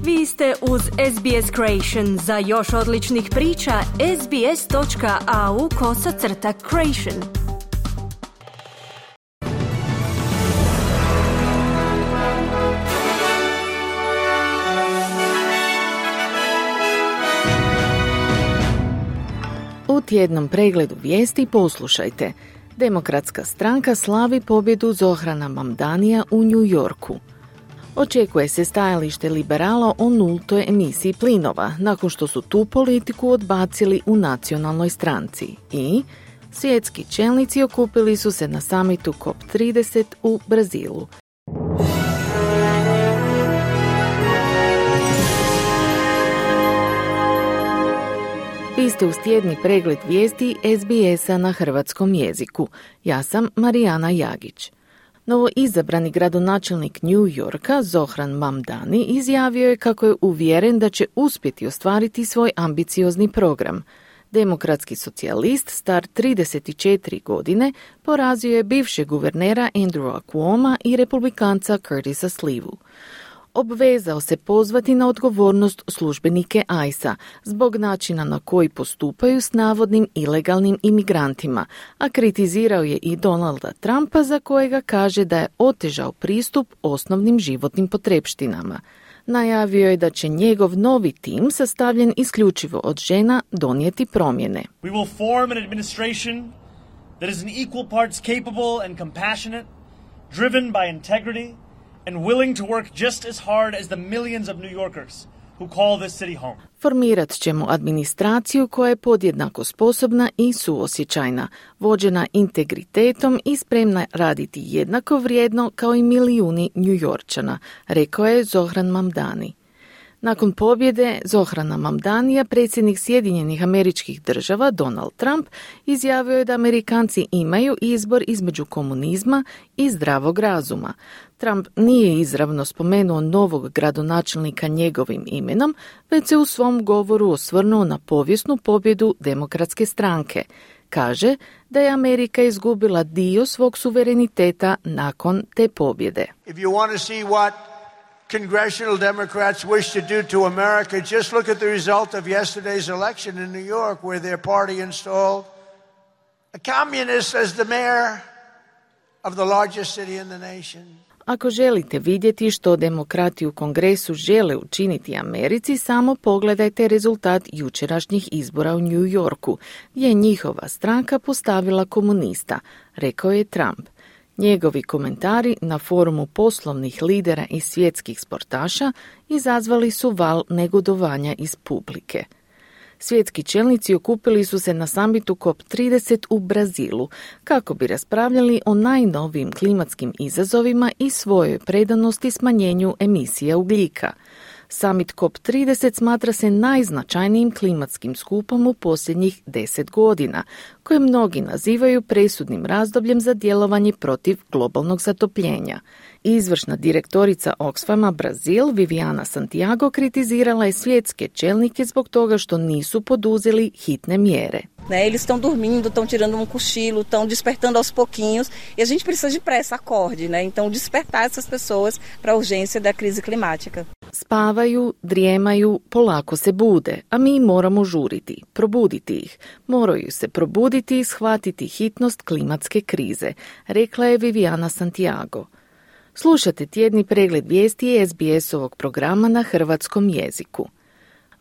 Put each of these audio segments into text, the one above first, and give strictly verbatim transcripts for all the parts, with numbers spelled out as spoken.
Vi ste uz S B S Creation. Za još odličnih priča, sbs.au kosacrta creation. U tjednom pregledu vijesti poslušajte. Demokratska stranka slavi pobjedu Zohrana Mamdanija u New Yorku. Očekuje se stajalište liberala o nultoj emisiji plinova, nakon što su tu politiku odbacili u nacionalnoj stranci. I svjetski čelnici okupili su se na samitu C O P trideset u Brazilu. Vi ste uz tjedni pregled vijesti S B S-a na hrvatskom jeziku. Ja sam Marijana Jagić. Novo izabrani gradonačelnik New Yorka, Zohran Mamdani, izjavio je kako je uvjeren da će uspjeti ostvariti svoj ambiciozni program. Demokratski socijalist, star trideset četiri godine, porazio je bivšeg guvernera Andrewa Cuoma i republikanca Curtisa Slivu. Obvezao se pozvati na odgovornost službenike I C E a zbog načina na koji postupaju s navodnim ilegalnim imigrantima, a kritizirao je i Donalda Trumpa za kojega kaže da je otežao pristup osnovnim životnim potrepštinama. Najavio je da će njegov novi tim, sastavljen isključivo od žena, donijeti promjene. We will form an administration that is an equal parts capable and compassionate, driven by integrity, and willing to work just as hard as the millions of New Yorkers who call this city home. Formirat ćemo administraciju koja je podjednako sposobna i suosjećajna, vođena integritetom i spremna raditi jednako vrijedno kao i milijuni Njujorčana, rekao je Zohran Mamdani. Nakon pobjede Zohrana Mamdanija, predsjednik Sjedinjenih Američkih Država Donald Trump izjavio je da Amerikanci imaju izbor između komunizma i zdravog razuma. Trump nije izravno spomenuo novog gradonačelnika njegovim imenom, već se u svom govoru osvrnuo na povijesnu pobjedu Demokratske stranke. Kaže da je Amerika izgubila dio svog suvereniteta nakon te pobjede. If you want to see what Congressional Democrats wish to do to America, just look at the result of yesterday's election in New York, where their party installed a communist as the mayor of the largest city in the nation. Ako želite vidjeti što demokrati u Kongresu žele učiniti Americi, samo pogledajte rezultat jučerašnjih izbora u New Yorku, gdje je njihova stranka postavila komunista, rekao je Trump. Njegovi komentari na forumu poslovnih lidera i svjetskih sportaša izazvali su val negodovanja iz publike. Svjetski čelnici okupili su se na samitu C O P trideset u Brazilu kako bi raspravljali o najnovijim klimatskim izazovima i svojoj predanosti smanjenju emisija ugljika. Summit C O P trideset smatra se najznačajnijim klimatskim skupom u posljednjih deset godina, koje mnogi nazivaju presudnim razdobljem za djelovanje protiv globalnog zatopljenja. Izvršna direktorica Oxfama Brazil, Viviana Santiago, kritizirala je svjetske čelnike zbog toga što nisu poduzeli hitne mjere. Né, eles estão dormindo, estão tirando um cochilo, estão despertando aos pouquinhos e a gente precisa de pressa, acorde, né? Então despertar essas pessoas para a urgência da crise climática. Spavaju, drijemaju, polako se bude, a mi moramo žuriti, probuditi ih. Moraju se probuditi i shvatiti hitnost klimatske krize, rekla je Viviana Santiago. Slušate tjedni pregled vijesti S B S-ovog programa na hrvatskom jeziku.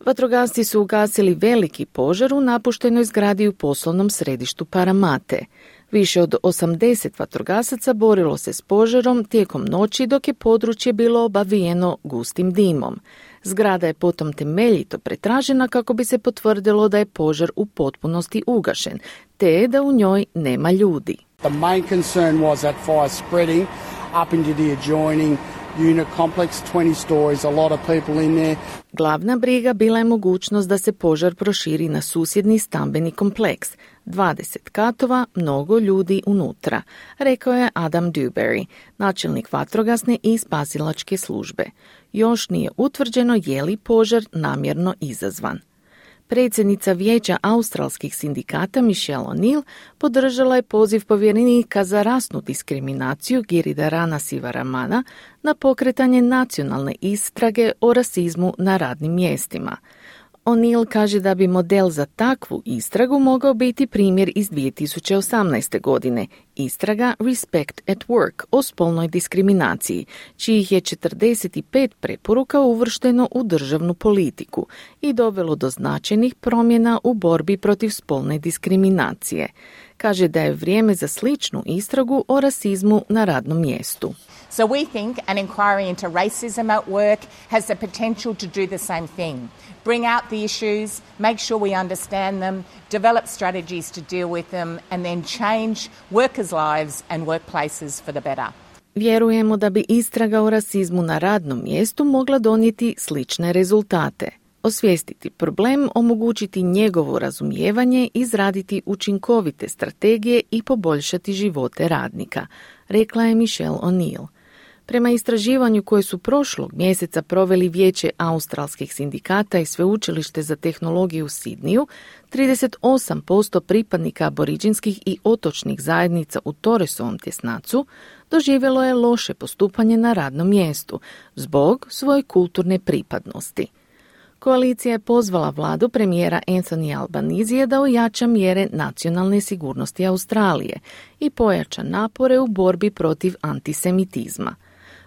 Vatrogasci su ugasili veliki požar u napuštenoj zgradi u poslovnom središtu Paramate. Više od osamdeset vatrogasaca borilo se s požarom tijekom noći dok je područje bilo obavijeno gustim dimom. Zgrada je potom temeljito pretražena kako bi se potvrdilo da je požar u potpunosti ugašen, te da u njoj nema ljudi. The main concern was that fire spreading up into the adjoining unit complex, twenty stories, a lot of people in there. Glavna briga bila je mogućnost da se požar proširi na susjedni stambeni kompleks. dvadeset katova, mnogo ljudi unutra, rekao je Adam Dewberry, načelnik vatrogasne i spasilačke službe. Još nije utvrđeno je li požar namjerno izazvan. Predsjednica Vijeća australskih sindikata Michelle O'Neill podržala je poziv povjerenika za rasnu diskriminaciju Giridharana Sivaramana na pokretanje nacionalne istrage o rasizmu na radnim mjestima. O'Neill kaže da bi model za takvu istragu mogao biti primjer iz dvije tisuće osamnaeste. godine, istraga Respect at Work o spolnoj diskriminaciji, čijih je četrdeset pet preporuka uvršteno u državnu politiku i dovelo do značajnih promjena u borbi protiv spolne diskriminacije. Kaže da je vrijeme za sličnu istragu o rasizmu na radnom mjestu. So we think an inquiry into racism at work has the potential to do the same thing. Bring out the issues, make sure we understand them, develop strategies to deal with them, and then change workers' lives and workplaces for the better. Vjerujemo da bi istraga o rasizmu na radnom mjestu mogla donijeti slične rezultate. Osvijestiti problem, omogućiti njegovo razumijevanje, izraditi učinkovite strategije i poboljšati živote radnika, rekla je Michelle O'Neill. Prema istraživanju koje su prošlog mjeseca proveli Vijeće australskih sindikata i Sveučilište za tehnologiju u Sidniju, trideset osam posto pripadnika aboriđinskih i otočnih zajednica u Torresovom tjesnacu doživjelo je loše postupanje na radnom mjestu zbog svoje kulturne pripadnosti. Koalicija je pozvala vladu premijera Anthony Albanizija da ojača mjere nacionalne sigurnosti Australije i pojača napore u borbi protiv antisemitizma.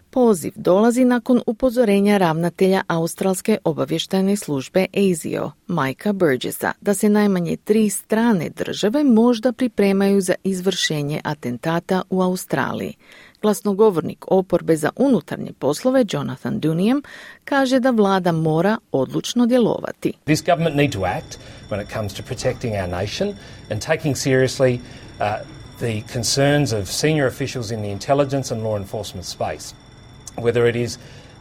Poziv dolazi nakon upozorenja ravnatelja Australske obavještajne službe A S I O, Mikea Burgessa, da se najmanje tri strane države možda pripremaju za izvršenje atentata u Australiji. Glasnogovornik oporbe za unutarnje poslove Jonathan Duniam kaže da vlada mora odlučno djelovati. This government need to act when it comes to protecting our nation and taking seriously uh, the concerns of senior officials in the intelligence and law enforcement space. Whether it is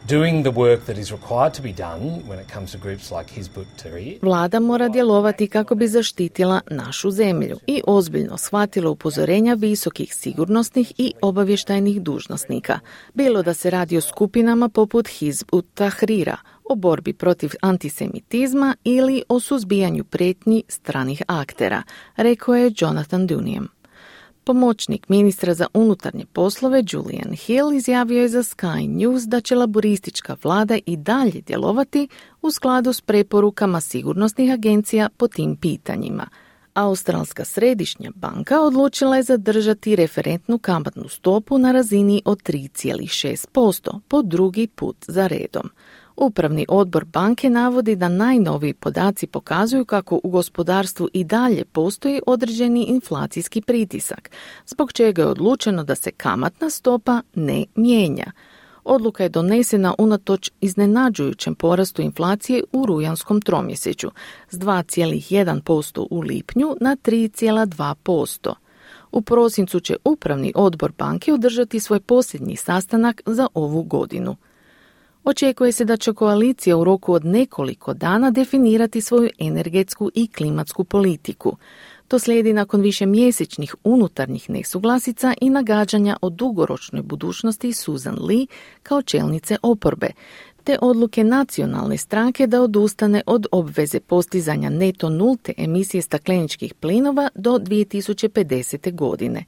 doing the work that is required to be done when it comes to groups like Hizb ut-Tahrir. Vlada mora djelovati kako bi zaštitila našu zemlju i ozbiljno shvatila upozorenja visokih sigurnosnih i obavještajnih dužnosnika, bilo da se radi o skupinama poput Hizb ut-Tahrira, o borbi protiv antisemitizma ili o suzbijanju prijetnji stranih aktera, rekao je Jonathan Duniam. Pomoćnik ministra za unutarnje poslove Julian Hill izjavio je za Sky News da će laboristička vlada i dalje djelovati u skladu s preporukama sigurnosnih agencija po tim pitanjima. Australska središnja banka odlučila je zadržati referentnu kamatnu stopu na razini od tri zarez šest posto po drugi put za redom. Upravni odbor banke navodi da najnoviji podaci pokazuju kako u gospodarstvu i dalje postoji određeni inflacijski pritisak, zbog čega je odlučeno da se kamatna stopa ne mijenja. Odluka je donesena unatoč iznenađujućem porastu inflacije u rujanskom tromjesečju s dva zarez jedan posto u lipnju na tri zarez dva posto. U prosincu će upravni odbor banke održati svoj posljednji sastanak za ovu godinu. Očekuje se da će koalicija u roku od nekoliko dana definirati svoju energetsku i klimatsku politiku. To slijedi nakon višemjesečnih unutarnjih nesuglasica i nagađanja o dugoročnoj budućnosti Susan Lee kao čelnice oporbe, te odluke nacionalne stranke da odustane od obveze postizanja neto nulte emisije stakleničkih plinova do dvije tisuće pedesete. godine.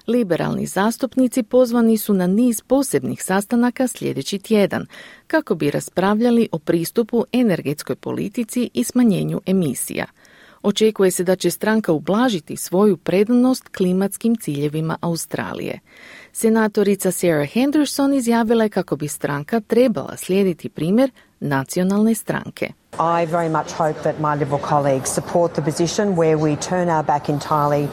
Liberalni zastupnici pozvani su na niz posebnih sastanaka sljedeći tjedan kako bi raspravljali o pristupu energetskoj politici i smanjenju emisija. Očekuje se da će stranka ublažiti svoju predanost klimatskim ciljevima Australije. Senatorica Sarah Henderson izjavila je kako bi stranka trebala slijediti primjer nacionalne stranke. I very much hope that my Liberal colleagues support the position where we turn our back entirely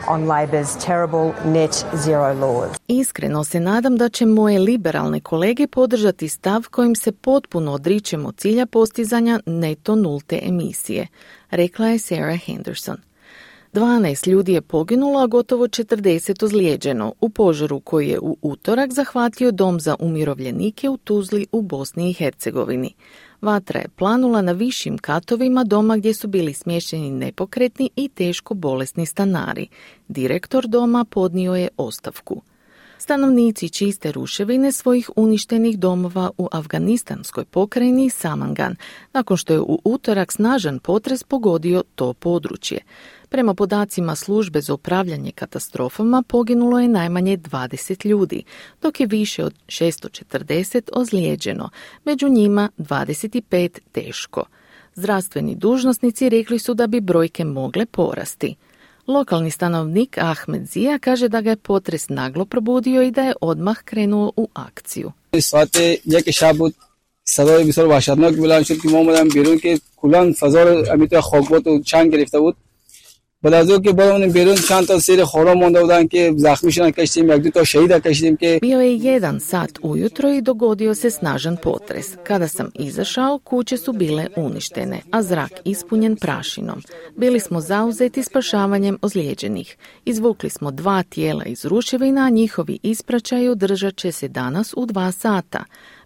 on Labor's terrible net zero laws. Iskreno se nadam da će moje liberalne kolege podržati stav kojim se potpuno odričemo cilja postizanja neto nulte emisije, rekla je Sarah Henderson. dvanaest ljudi je poginulo, a gotovo četrdeset ozlijeđeno u požaru koji je u utorak zahvatio dom za umirovljenike u Tuzli u Bosni i Hercegovini. Vatra je planula na višim katovima doma gdje su bili smješteni nepokretni i teško bolesni stanari. Direktor doma podnio je ostavku. Stanovnici čiste ruševine svojih uništenih domova u afganistanskoj pokrajini Samangan, nakon što je u utorak snažan potres pogodio to područje. Prema podacima službe za upravljanje katastrofama poginulo je najmanje dvadeset ljudi, dok je više od šesto četrdeset ozlijeđeno, među njima dvadeset pet teško. Zdravstveni dužnosnici rekli su da bi brojke mogle porasti. Lokalni stanovnik Ahmed Zia kaže da ga je potres naglo probudio i da je odmah krenuo u akciju. صدای بسیار وحشتناک بلند شد که ما اومدم بیرون که کلان فضا رو امیتو خاکبات و چنگ گرفته بود. بعد از اون که برامون بیرون چند تا سیر خورا مونده بودن که زخمی شدن کشیدیم، یک دو تا شهید کشیدیم که Bio je jedan sat ujutro i dogodio se snažan potres. Kada sam izašao, kuće su bile uništene, a zrak ispunjen prašinom. Bili smo zauzeti spašavanjem ozlijeđenih. Izvukli smo dva tijela iz ruševina, a njihovi ispraćaj održat će se danas u dva sata.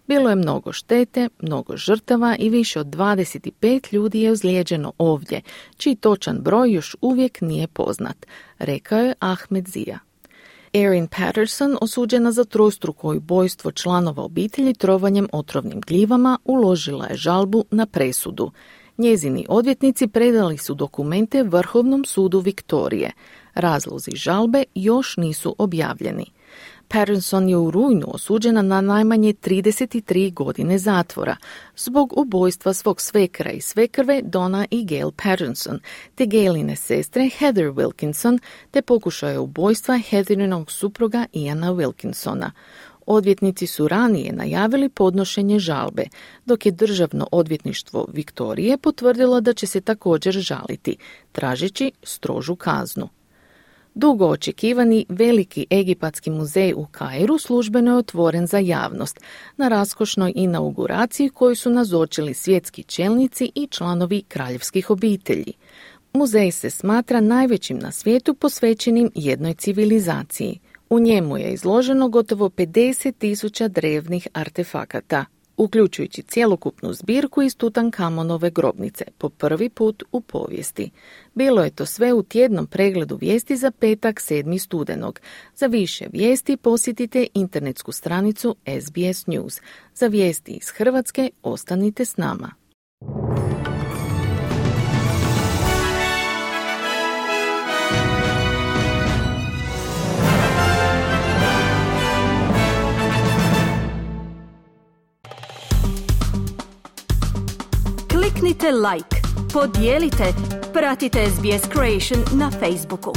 Bilo je mnogo štete, mnogo žrtava i više od dvadeset pet ljudi je ozlijeđeno ovdje, čiji točan broj još uvijek nije poznat, rekao je Ahmed Zia. Erin Patterson, osuđena za trostruko ubojstvo članova obitelji trovanjem otrovnim gljivama, uložila je žalbu na presudu. Njezini odvjetnici predali su dokumente Vrhovnom sudu Viktorije. Razlozi žalbe još nisu objavljeni. Patterson je u rujnu osuđena na najmanje trideset tri godine zatvora zbog ubojstva svog svekra i svekrve Donna i Gail Patterson, te Gailine sestre Heather Wilkinson, te pokušaja ubojstva Heatherinog supruga Iana Wilkinsona. Odvjetnici su ranije najavili podnošenje žalbe, dok je Državno odvjetništvo Viktorije potvrdilo da će se također žaliti, tražeći strožu kaznu. Dugo očekivani veliki egipatski muzej u Kairu službeno je otvoren za javnost na raskošnoj inauguraciji koju su nazočili svjetski čelnici i članovi kraljevskih obitelji. Muzej se smatra najvećim na svijetu posvećenim jednoj civilizaciji. U njemu je izloženo gotovo pedeset tisuća drevnih artefakata, uključujući cjelokupnu zbirku iz Tutankamonove grobnice, po prvi put u povijesti. Bilo je to sve u tjednom pregledu vijesti za petak sedmog studenog. Za više vijesti posjetite internetsku stranicu S B S News. Za vijesti iz Hrvatske ostanite s nama. Kliknite like, podijelite, pratite S B S Creation na Facebooku.